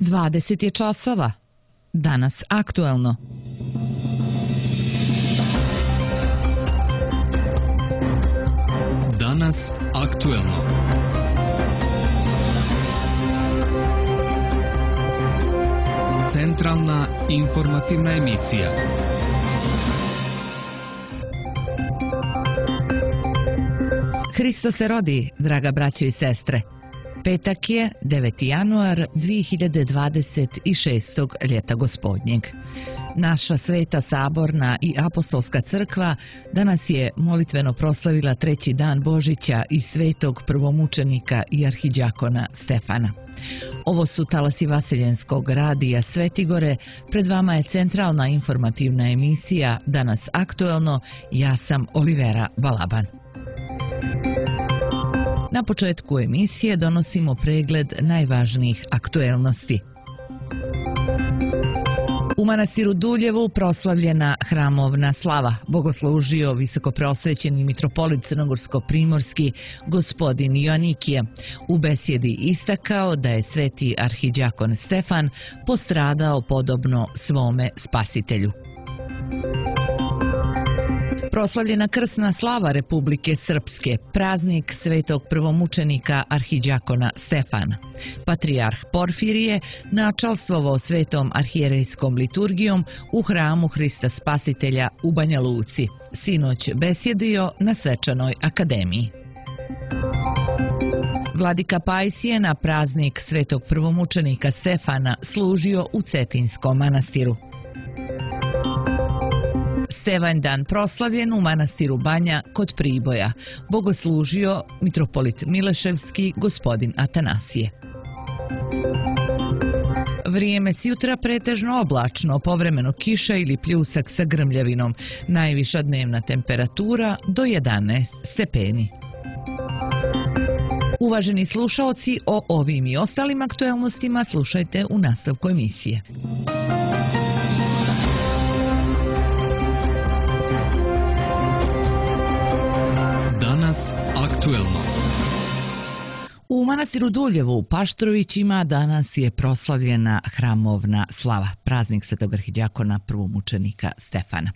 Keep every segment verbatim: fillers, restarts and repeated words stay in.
dvadeset je časova. Danas aktuelno. Danas aktuelno. Centralna informativna emisija. Hristo se rodi, draga braćo i sestre. Petak je deveti januar dvije hiljade dvadeset šestog. ljeta gospodnjeg. Naša sveta saborna i apostolska crkva danas je molitveno proslavila treći dan Božića i svetog prvomučenika i arhiđakona Stefana. Ovo su talasi Vaseljenskog radija Svetigore, pred vama je centralna informativna emisija Danas aktuelno, ja sam Olivera Balaban. Na početku emisije donosimo pregled najvažnijih aktuelnosti. U manastiru Duljevu proslavljena hramovna slava. Bogoslužio visokopreosvećeni mitropolit crnogorsko-primorski gospodin Joanikije. U besjedi istakao da je sveti arhiđakon Stefan postradao podobno svome spasitelju. Proslavljena krsna slava Republike Srpske, praznik svetog prvomučenika arhiđakona Stefana. Patrijarh Porfirije načalstvovao svetom arhijerejskom liturgijom u hramu Hrista Spasitelja u Banja Luci. Sinoć besjedio na svečanoj akademiji. Vladika Pajsije na praznik svetog prvomučenika Stefana služio u Cetinskom manastiru. Stevanjdan proslavljen u manastiru Banja kod Priboja. Bogoslužio mitropolit Mileševski gospodin Atanasije. Vrijeme s jutra pretežno oblačno, povremeno kiša ili pljusak sa grmljavinom. Najviša dnevna temperatura do jedanaest stepeni. Uvaženi slušaoci, o ovim i ostalim aktuelnostima slušajte u nastavku emisije. Aktuelno. U manastiru Duljevu u Paštrovićima danas je proslavljena hramovna slava, praznik svetog arhiđakona prvomučenika Stefana.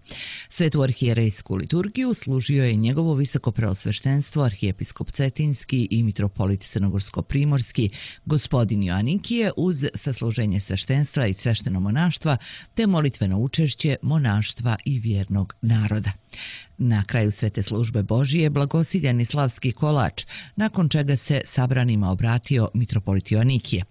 Svetu arhijerejsku liturgiju služio je njegovo visokopreosveštenstvo arhijepiskop Cetinski i mitropolit crnogorsko-primorski gospodin Joanikije uz sasluženje sveštenstva i svešteno monaštva te molitveno učešće monaštva i vjernog naroda. Na kraju svete službe Božije blagosiljeni slavski kolač, nakon čega se sabranima obratio mitropolit Joanikije.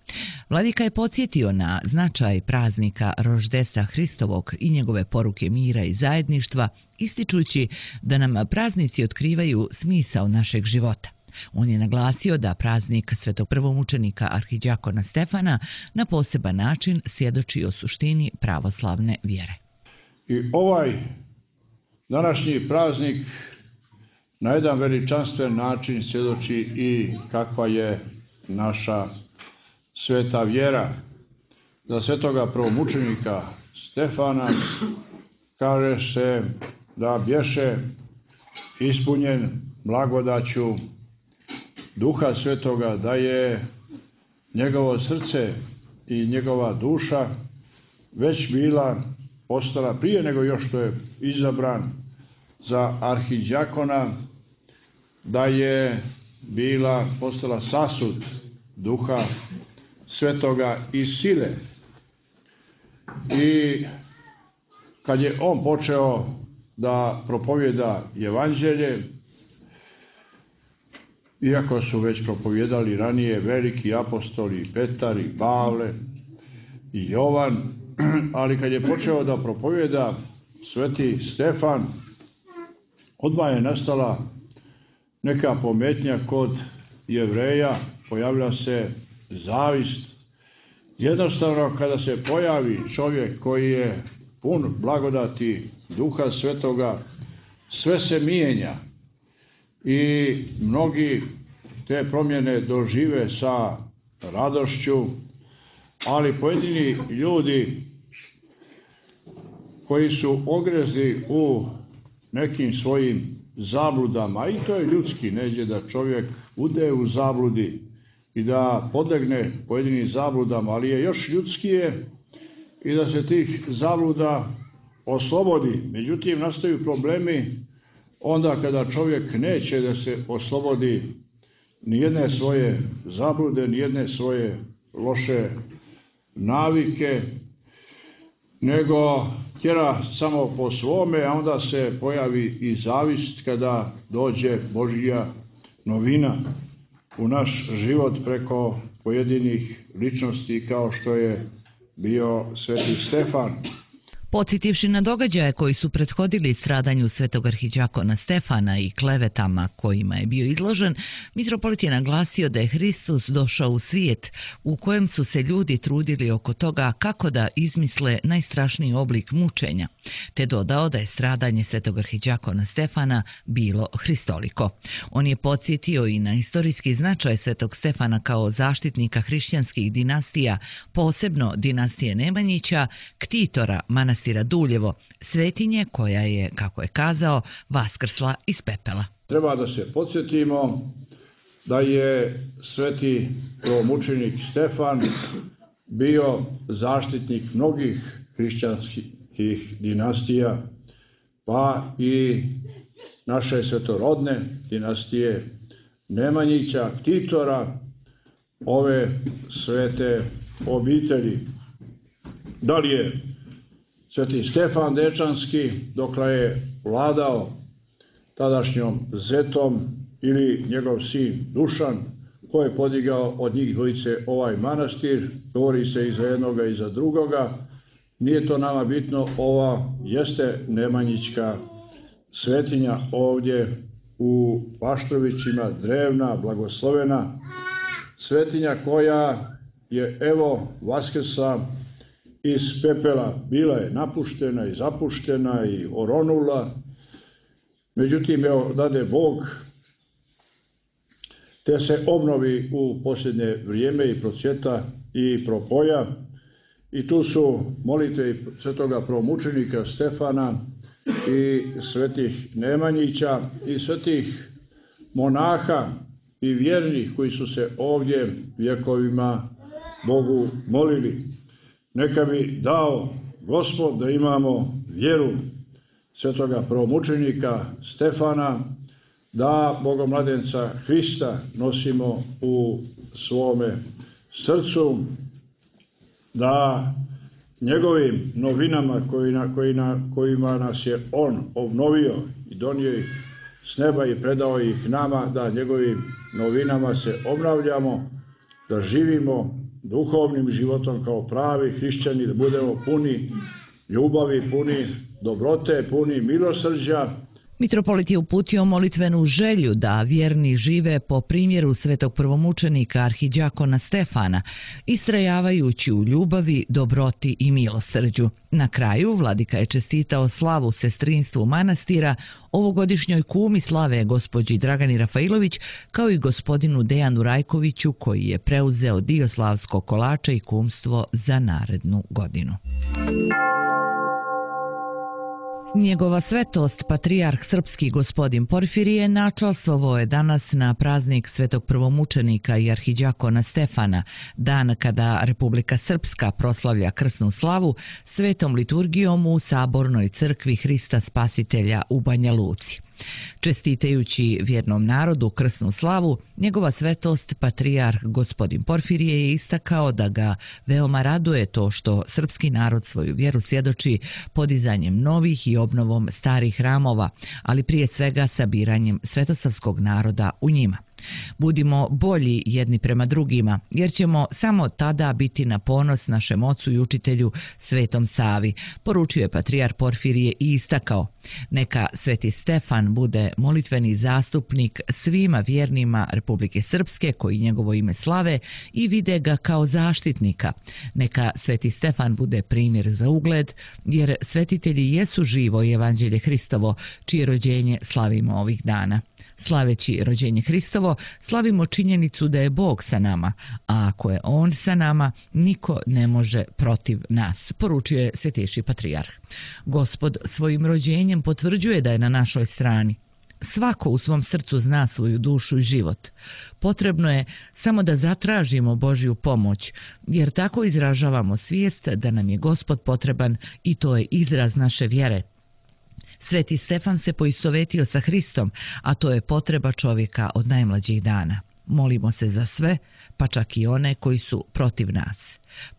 Vladika je podsjetio na značaj praznika Roždesa Hristovog i njegove poruke mira i zajedništva, ističući da nam praznici otkrivaju smisao našeg života. On je naglasio da praznik svetog prvomučenika arhiđakona Stefana na poseban način svjedoči o suštini pravoslavne vjere. I ovaj današnji praznik na jedan veličanstven način svjedoči i kakva je naša sveta vjera. Za svetoga prvomučenika Stefana kaže se da bješe ispunjen blagodaću Duha Svetoga, da je njegovo srce i njegova duša već bila postala prije nego još što je izabran za arhiđakona, da je bila postala sasud Duha Svetoga i sile. I kad je on počeo da propovjeda evanđelje, iako su već propovjedali ranije veliki apostoli Petar i Pavle i Jovan, ali kad je počeo da propovjeda sveti Stefan, odmah je nastala neka pometnja kod Jevreja, pojavila se zavist. Jednostavno, kada se pojavi čovjek koji je pun blagodati Duha Svetoga, sve se mijenja i mnogi te promjene dožive sa radošću, ali pojedini ljudi koji su ogrezli u nekim svojim zabludama, i to je ljudski, neđe da čovjek bude u zabludi, i da podlegne pojedinim zabludama, ali je još ljudskije i da se tih zabluda oslobodi. Međutim, nastaju problemi onda kada čovjek neće da se oslobodi nijedne svoje zablude, nijedne svoje loše navike, nego tjera samo po svome, a onda se pojavi i zavist kada dođe Božja novina u naš život preko pojedinih ličnosti kao što je bio Sveti Stefan. Podsjetivši na događaje koji su prethodili stradanju svetog arhidjakona Stefana i klevetama kojima je bio izložen, mitropolit je naglasio da je Hristos došao u svijet u kojem su se ljudi trudili oko toga kako da izmisle najstrašniji oblik mučenja, te dodao da je stradanje svetog arhidjakona Stefana bilo hristoliko. On je podsjetio i na istorijski značaj svetog Stefana kao zaštitnika hrišćanskih dinastija, posebno dinastije Nemanjića, ktitora manastira Duljevo, svetinje koja je, kako je kazao, vaskrsla iz pepela. Treba da se podsjetimo da je sveti prvomučenik Stefan bio zaštitnik mnogih hrišćanskih dinastija, pa i naše svetorodne dinastije Nemanjića, ktitora ove svete obitelji. Da li je sveti Stefan Dečanski, dokle je vladao tadašnjom Zetom, ili njegov sin Dušan, ko je podigao od njih dvojice ovaj manastir, govori se i za jednoga i za drugoga. Nije to nama bitno, ova jeste Nemanjićka svetinja ovdje u Paštrovićima, drevna, blagoslovena svetinja koja je evo vaskrsla iz pepela. Bila je napuštena i zapuštena i oronula, međutim, evo, dade Bog, te se obnovi u posljednje vrijeme i procvjeta i propoja. I tu su molitve svetoga prvomučenika Stefana i svetih Nemanjića i svetih monaha i vjernih koji su se ovdje vjekovima Bogu molili. Neka bi dao Gospod da imamo vjeru svetoga prvomučenika Stefana, da Bogomladenca Hrista nosimo u svome srcu, da njegovim novinama koji na, koji na, kojima nas je on obnovio i donio ih s neba i predao ih nama, da njegovim novinama se obnavljamo, da živimo duhovnim životom kao pravi hrišćani, da budemo puni ljubavi, puni dobrote, puni milosrđa. Mitropolit je uputio molitvenu želju da vjerni žive po primjeru svetog prvomučenika arhidjakona Stefana, istrajavajući u ljubavi, dobroti i milosrđu. Na kraju, vladika je čestitao slavu sestrinstvu manastira, ovogodišnjoj kumi slave gospođi Dragani Rafailović, kao i gospodinu Dejanu Rajkoviću, koji je preuzeo dio slavskog kolača i kumstvo za narednu godinu. Njegova svetost, patrijarh srpski gospodin Porfirije, načastvovao je danas na praznik svetog prvomučenika i arhidjakona Stefana, dan kada Republika Srpska proslavlja krsnu slavu svetom liturgijom u Sabornoj crkvi Hrista Spasitelja u Banja Luci. Čestitajući vjernom narodu krsnu slavu, njegova svetost, patrijarh gospodin Porfirije, je istakao da ga veoma raduje to što srpski narod svoju vjeru svjedoči podizanjem novih i obnovom starih hramova, ali prije svega sabiranjem svetosavskog naroda u njima. Budimo bolji jedni prema drugima, jer ćemo samo tada biti na ponos našem ocu i učitelju Svetom Savi, poručio je patrijarh Porfirije i istakao. Neka Sveti Stefan bude molitveni zastupnik svima vjernima Republike Srpske koji njegovo ime slave i vide ga kao zaštitnika. Neka Sveti Stefan bude primjer za ugled, jer svetitelji jesu živo i evanđelje Hristovo, čije rođenje slavimo ovih dana. Slaveći rođenje Hristovo, slavimo činjenicu da je Bog sa nama, a ako je On sa nama, niko ne može protiv nas, poručio je svetejši patrijarh. Gospod svojim rođenjem potvrđuje da je na našoj strani. svako u svom srcu zna svoju dušu i život. Potrebno je samo da zatražimo Božju pomoć, jer tako izražavamo svijest da nam je Gospod potreban i to je izraz naše vjere. Sveti Stefan se poistovetio sa Hristom, a to je potreba čovjeka od najmlađih dana. Molimo se za sve, pa čak i one koji su protiv nas.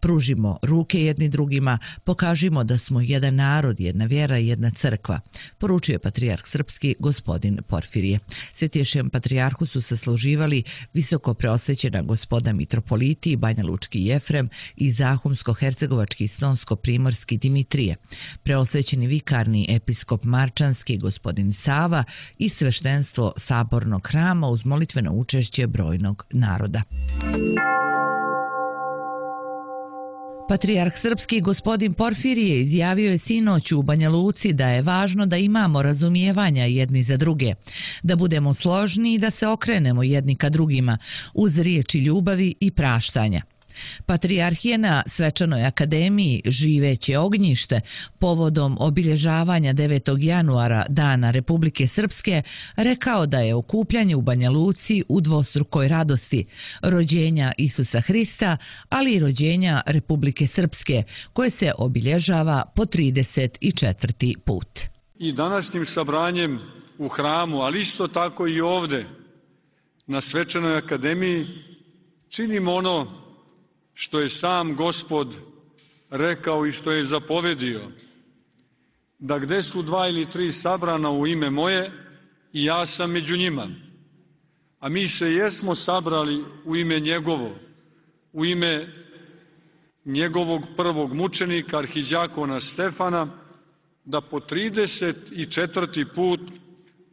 Pružimo ruke jedni drugima, pokažimo da smo jedan narod, jedna vjera i jedna crkva, poručuje patrijarh srpski gospodin Porfirije. Svetiješem patrijarhu su sasluživali visoko preosvećena gospoda mitropoliti Banja Lučki Jefrem i Zahumsko-hercegovački Stonsko-primorski Dimitrije, preosvećeni vikarni episkop Marčanski gospodin Sava i sveštenstvo sabornog hrama uz molitveno učešće brojnog naroda. Patrijarh srpski gospodin Porfirije izjavio je sinoć u Banja Luci da je važno da imamo razumijevanja jedni za druge, da budemo složni i da se okrenemo jedni ka drugima uz riječi ljubavi i praštanja. Patrijarh je na svečanoj akademiji Živeće ognjište povodom obilježavanja devetog januara Dana Republike Srpske rekao da je okupljanje u Banja Luci u dvostrukoj radosti rođenja Isusa Hrista, ali i rođenja Republike Srpske koje se obilježava po trideset četvrti put. I današnjim sabranjem u hramu, ali isto tako i ovdje na svečanoj akademiji činimo ono što je sam Gospod rekao i što je zapovedio, da gde su dva ili tri sabrana u ime moje, i ja sam među njima. A mi se jesmo sabrali u ime njegovo, u ime njegovog prvog mučenika, arhidjakona Stefana, da po trideset četvrti put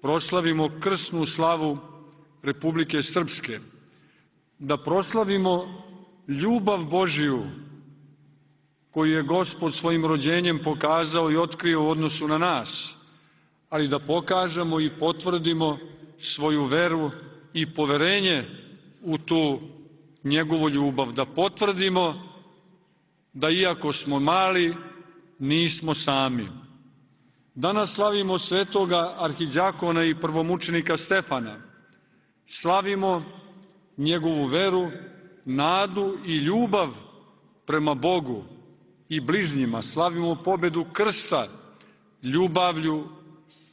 proslavimo krsnu slavu Republike Srpske, da proslavimo ljubav Božiju koju je Gospod svojim rođenjem pokazao i otkrio u odnosu na nas, ali da pokažemo i potvrdimo svoju veru i poverenje u tu njegovu ljubav, da potvrdimo da iako smo mali, nismo sami. Danas slavimo svetoga arhidjakona i prvomučenika Stefana. Slavimo njegovu veru, nadu i ljubav prema Bogu i bližnjima. Slavimo pobedu krsta ljubavlju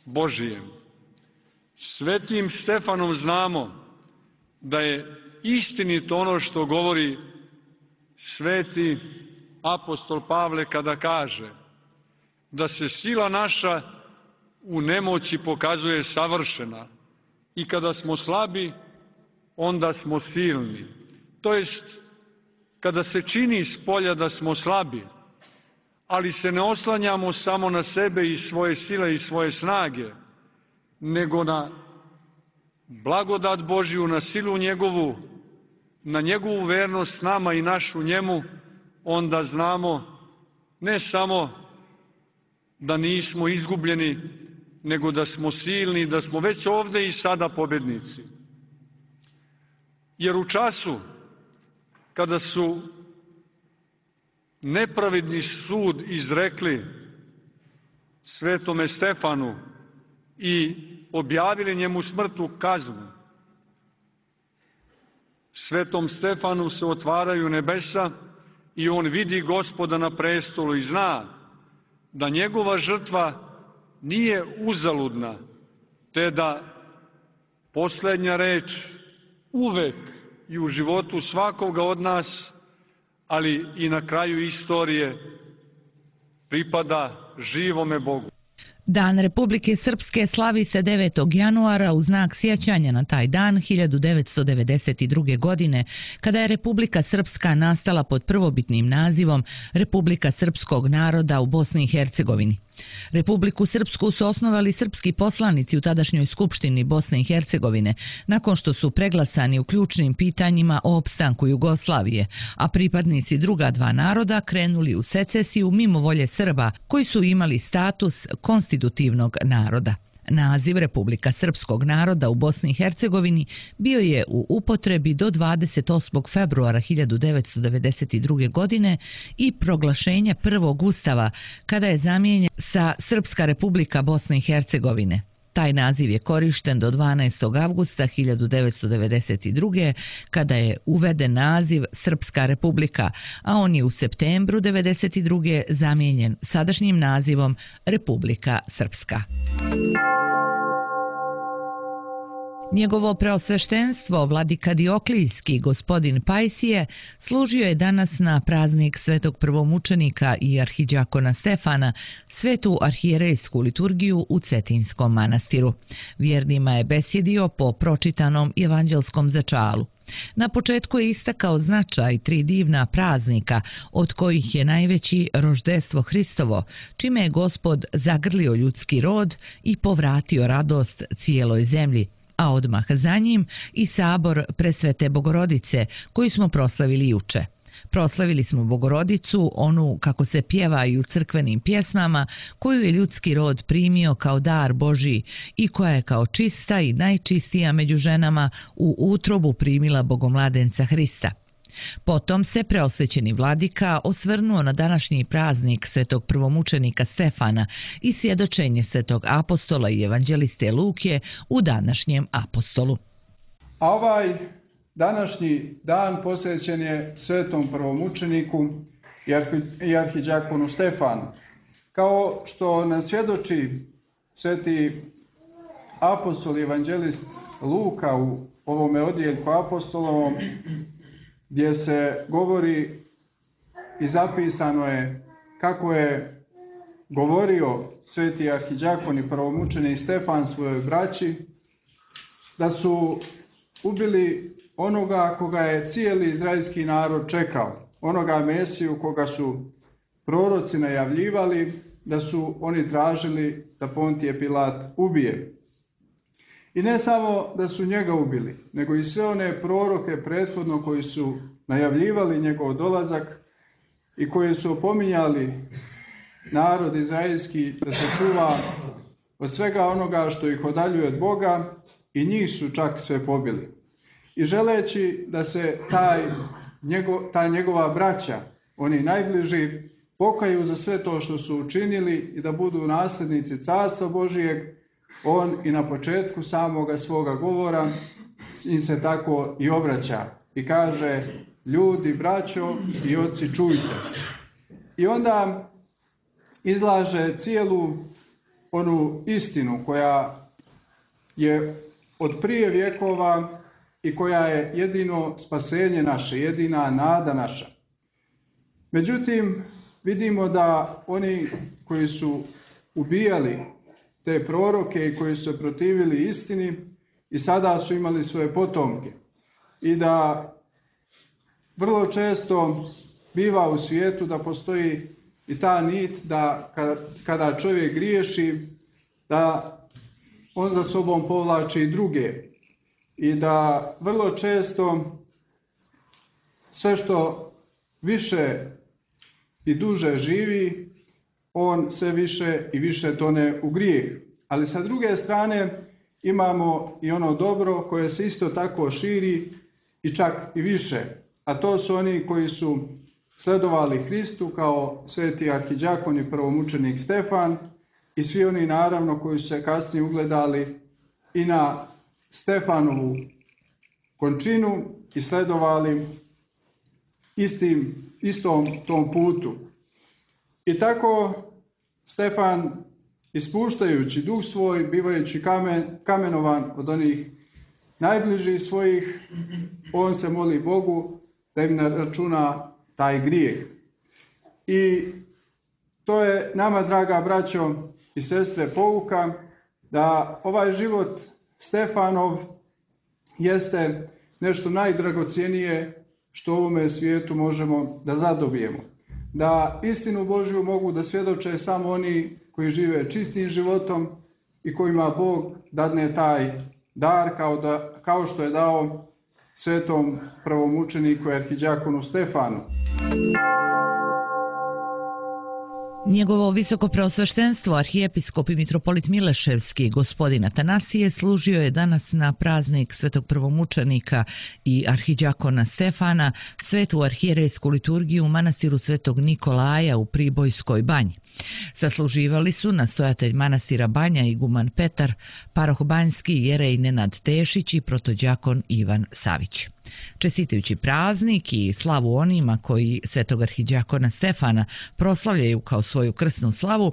Božijem. Svetim Stefanom znamo da je istinito ono što govori sveti apostol Pavle kada kaže da se sila naša u nemoći pokazuje savršena i kada smo slabi, onda smo silni. To jest, kada se čini s polja da smo slabi, ali se ne oslanjamo samo na sebe i svoje sile i svoje snage, nego na blagodat Božju, na silu njegovu, na njegovu vernost nama i našu njemu, onda znamo ne samo da nismo izgubljeni, nego da smo silni, da smo već ovdje i sada pobjednici. Jer u času kada su nepravedni sud izrekli svetome Stefanu i objavili njemu smrtnu kaznu, svetom Stefanu se otvaraju nebesa i on vidi Gospoda na prestolu i zna da njegova žrtva nije uzaludna, te da posljednja reč uvek i u životu svakoga od nas, ali i na kraju istorije, pripada živome Bogu. Dan Republike Srpske slavi se devetog januara u znak sjećanja na taj dan hiljadu devetsto devedeset druge. godine, kada je Republika Srpska nastala pod prvobitnim nazivom Republika Srpskog naroda u Bosni i Hercegovini. Republiku Srpsku su osnovali srpski poslanici u tadašnjoj Skupštini Bosne i Hercegovine, nakon što su preglasani u ključnim pitanjima o opstanku Jugoslavije, a pripadnici druga dva naroda krenuli u secesiju mimo volje Srba, koji su imali status konstitutivnog naroda. Naziv Republika Srpskog naroda u Bosni i Hercegovini bio je u upotrebi do dvadeset osmog februara hiljadu devetsto devedeset druge. godine i proglašenja prvog ustava, kada je zamijenjen sa Srpska Republika Bosne i Hercegovine. Taj naziv je korišten do dvanaestog avgusta hiljadu devetsto devedeset druge. kada je uveden naziv Srpska republika, a on je u septembru devedeset druge. zamijenjen sadašnjim nazivom Republika Srpska. Njegovo preosveštenstvo, vladika Dioklijski, gospodin Pajsije, služio je danas na praznik svetog prvomučenika i arhidjakona Stefana, svetu arhijerejsku liturgiju u Cetinskom manastiru. Vjernima je besjedio po pročitanom evanđelskom začalu. Na početku je istakao značaj tri divna praznika, od kojih je najveći roždestvo Hristovo, čime je Gospod zagrlio ljudski rod i povratio radost cijeloj zemlji, a odmah za njim i sabor Presvete Bogorodice, koji smo proslavili juče. Proslavili smo Bogorodicu, onu kako se pjeva i u crkvenim pjesmama, koju je ljudski rod primio kao dar Božji i koja je kao čista i najčistija među ženama u utrobu primila Bogomladenca Hrista. Potom se preosvećeni vladika osvrnuo na današnji praznik svetog prvomučenika Stefana i svjedočenje svetog apostola i evanđeliste Luke u današnjem apostolu. A ovaj današnji dan posvećen je svetom prvomučeniku i arhidjakonu Stefanu. Kao što nam svjedoči sveti apostol i evanđelist Luka u ovome odjeljku apostolovom, gdje se govori i zapisano je kako je govorio sveti arhidjakon i prvomučenik Stefan svojoj braći, da su ubili onoga koga je cijeli izraelski narod čekao, onoga Mesiju koga su proroci najavljivali, da su oni tražili da Pontije Pilat ubije. I ne samo da su njega ubili, nego i sve one proroke prethodno koji su najavljivali njegov dolazak i koji su opominjali narod izraelski da se čuva od svega onoga što ih odaljuje od Boga, i njih su čak sve pobili. I želeći da se taj, njegov, ta njegova braća, oni najbliži, pokaju za sve to što su učinili i da budu nasljednici Carstva Božijeg, on i na početku samoga svoga govora im se tako i obraća i kaže: ljudi, braćo i oci, čujte. I onda izlaže cijelu onu istinu koja je od prije vjekova i koja je jedino spasenje naše, jedina nada naša. Međutim, vidimo da oni koji su ubijali te proroke i koji su se protivili istini i sada su imali svoje potomke. I da vrlo često biva u svijetu da postoji i ta nit da kada čovjek griješi, da on za sobom povlači i druge. I da vrlo često sve što više i duže živi, on sve više i više tone u grijeh. Ali sa druge strane imamo i ono dobro koje se isto tako širi i čak i više. A to su oni koji su sledovali Hristu kao sveti arhidjakon i prvomučenik Stefan i svi oni naravno koji su se kasnije ugledali i na Stefanovu končinu i sledovali istim, istom tom putu. I tako Stefan, ispuštajući duh svoj, bivajući kamen, kamenovan od onih najbližih svojih, on se moli Bogu da im naračuna taj grijeh. I to je nama, draga braćo i sestre, pouka da ovaj život Stefanov jeste nešto najdragocjenije što u ovome svijetu možemo da zadobijemo. Da istinu Božju mogu da svjedoče samo oni koji žive čistim životom i kojima Bog dadne taj dar kao, da, kao što je dao svetom prvomučeniku i arhidjakonu Stefanu. Njegovo visoko preosveštenstvo, arhijepiskop i mitropolit Mileševski, gospodin Atanasije, služio je danas na praznik svetog prvomučenika i arhidjakona Stefana svetu arhijerejsku liturgiju u manastiru svetog Nikolaja u Pribojskoj banji. Sasluživali su nastojatelj manastira Banja iguman Petar, paroh Banjski jerej Nenad Tešić i protodjakon Ivan Savić. Čestitajući praznik i slavu onima koji svetog arhidjakona Stefana proslavljaju kao svoju krsnu slavu,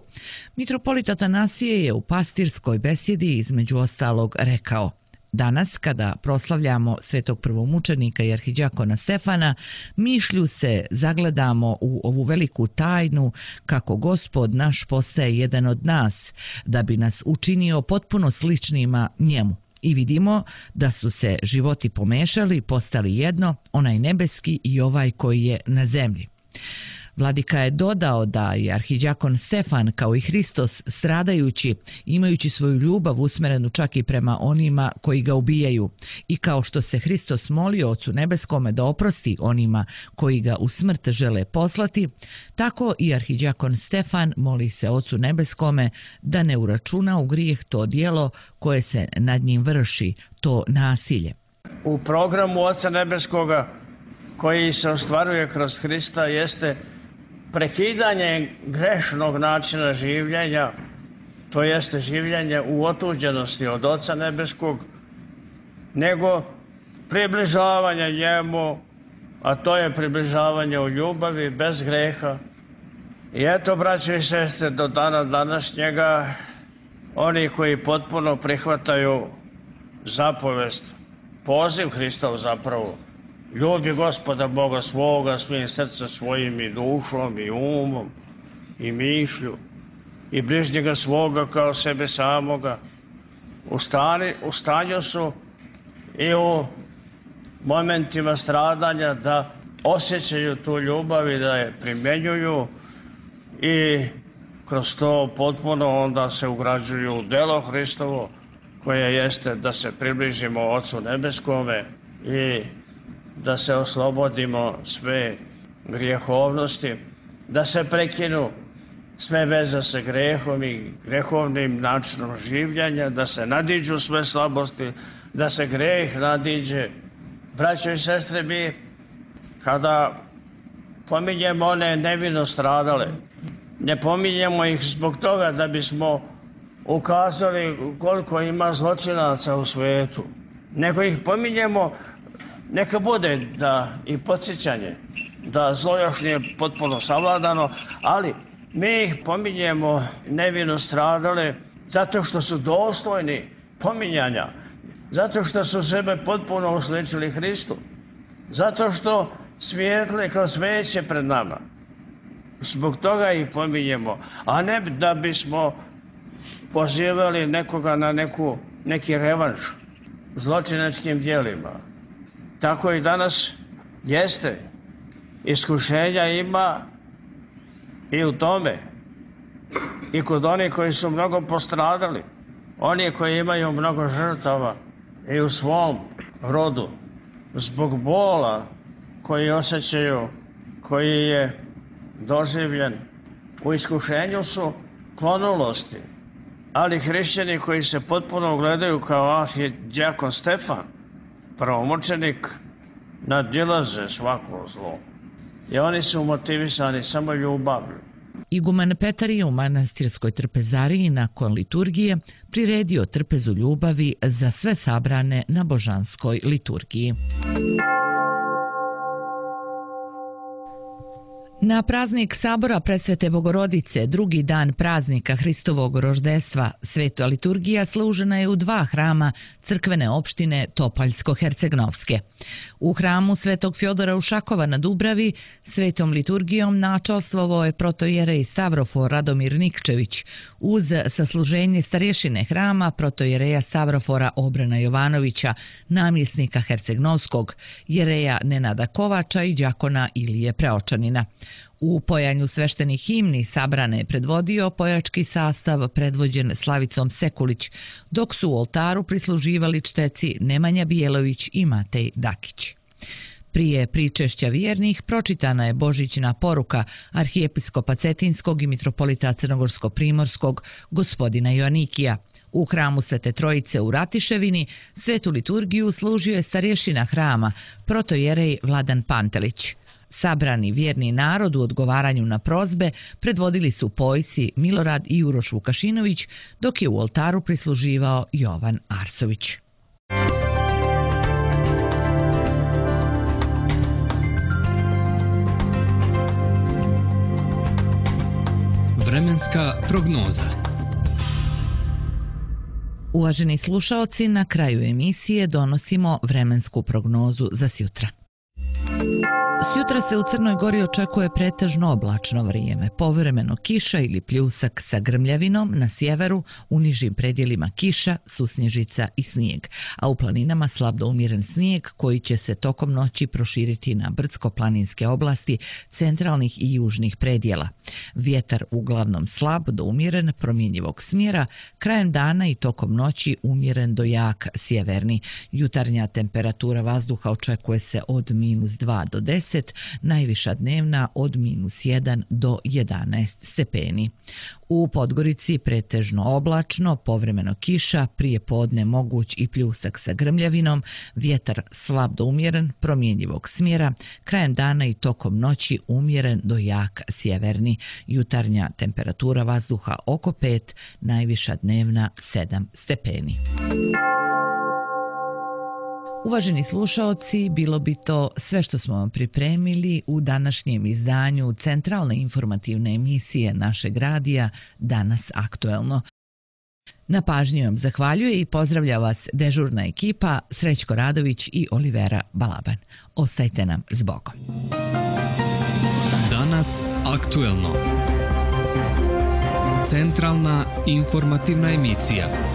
mitropolit Atanasije je u pastirskoj besjedi između ostalog rekao: danas, kada proslavljamo svetog prvomučenika i arhidjakona Stefana, mišlju se zagledamo u ovu veliku tajnu kako Gospod naš postaje jedan od nas, da bi nas učinio potpuno sličnima njemu. I vidimo da su se životi pomešali, postali jedno, onaj nebeski i ovaj koji je na zemlji. Vladika je dodao da je arhidjakon Stefan kao i Hristos stradajući, imajući svoju ljubav usmerenu čak i prema onima koji ga ubijaju, i kao što se Hristos molio Ocu nebeskome da oprosti onima koji ga u smrt žele poslati, tako i arhidjakon Stefan moli se Ocu nebeskome da ne uračuna u grijeh to djelo koje se nad njim vrši, to nasilje. U programu Oca nebeskoga koji se ostvaruje kroz Hrista jeste prekidanje grešnog načina življenja, to jeste življenje u otuđenosti od Oca nebeskog, nego približavanje njemu, a to je približavanje u ljubavi, bez greha. I eto, braće i sestre, do dana današnjega, oni koji potpuno prihvataju zapovest, poziv Hristov zapravo, ljubi Gospoda Boga svoga svojim srcem svojim i dušom i umom i mišlju i bližnjega svoga kao sebe samoga. U, stani, u stanju su i u momentima stradanja da osjećaju tu ljubav i da je primjenjuju i kroz to potpuno onda se ugrađuju u delo Hristovo koje jeste da se približimo Ocu nebeskome i da se oslobodimo sve grijehovnosti, da se prekinu sve veze sa grehom i grehovnim načinom življenja, da se nadiđu sve slabosti, da se greh nadiđe. Braćo i sestre, mi kada pominjemo one nevino stradale, ne pominjemo ih zbog toga da bismo ukazali koliko ima zločinaca u svijetu, nego ih pominjemo neka bude da i podsjećanje da zlo još nije potpuno savladano, ali mi ih pominjemo nevino stradale zato što su dostojni pominjanja, zato što su sebe potpuno usličili Hristu, zato što svijetle kroz sveće pred nama. Zbog toga ih pominjemo, a ne da bismo pozivali nekoga na neku, neki revanš zločinačkim djelima. Tako i danas jeste. Iskušenja ima i u tome. I kod onih koji su mnogo postradali. Oni koji imaju mnogo žrtava i u svom rodu. Zbog bola koji osjećaju, koji je doživljen. U iskušenju su klonulosti. Ali hrišćani koji se potpuno gledaju kao arhidjakon Stefan, prvomučenik, nadilaze svako zlo. I oni su motivisani samo ljubavlju. Iguman Petar je u manastirskoj trpezariji nakon liturgije priredio trpezu ljubavi za sve sabrane na božanskoj liturgiji. Na praznik Sabora Presvete Bogorodice, drugi dan praznika Hristovog roždestva, sveta liturgija služena je u dva hrama crkvene opštine Topaljsko-Hercegnovske. U hramu Svetog Fjodora Ušakova na Dubravi svetom liturgijom načastvovao je protojerej Savrofor Radomir Nikčević uz sasluženje starješine hrama protojereja Savrofora Obrana Jovanovića, namjesnika Hercegnovskog, jereja Nenada Kovača i đakona Ilije Preočanina. U pojanju sveštenih himni sabrane je predvodio pojački sastav predvođen Slavicom Sekulić, dok su u oltaru prisluživali čteci Nemanja Bijelović i Matej Dakić. Prije pričešća vjernih pročitana je božićna poruka arhijepiskopa Cetinskog i mitropolita Crnogorsko-primorskog gospodina Joanikija. U hramu Svete Trojice u Ratiševini svetu liturgiju služio je starješina hrama, protojerej Vladan Pantelić. Sabrani vjerni narod u odgovaranju na prozbe predvodili su pojsi Milorad i Uroš Vukašinović, dok je u oltaru prisluživao Jovan Arsović. Vremenska prognoza. Uvaženi slušaoci, na kraju emisije donosimo vremensku prognozu za sjutra. Sjutra se u Crnoj Gori očekuje pretežno oblačno vrijeme, povremeno kiša ili pljusak sa grmljavinom na sjeveru, u nižim predjelima kiša, susnježica i snijeg, a u planinama slab do umjeren snijeg koji će se tokom noći proširiti na brdsko-planinske oblasti centralnih i južnih predjela. Vjetar uglavnom slab do umjeren promjenjivog smjera, krajem dana i tokom noći umjeren do jak sjeverni. Jutarnja temperatura vazduha očekuje se od minus dva do deset, najviša dnevna od minus jedan do jedanaest stepeni. U Podgorici pretežno oblačno, povremeno kiša, prije podne moguć i pljusak sa grmljavinom, vjetar slab do umjeren, promjenjivog smjera, krajem dana i tokom noći umjeren do jak sjeverni. Jutarnja temperatura vazduha oko pet, najviša dnevna sedam stepeni. Uvaženi slušaoci, bilo bi to sve što smo vam pripremili u današnjem izdanju centralne informativne emisije našeg radija Danas aktuelno. Na pažnji vam zahvaljuje i pozdravlja vas dežurna ekipa Srećko Radović i Olivera Balaban. Ostajte nam s Bogom. Danas aktuelno. Centralna informativna emisija.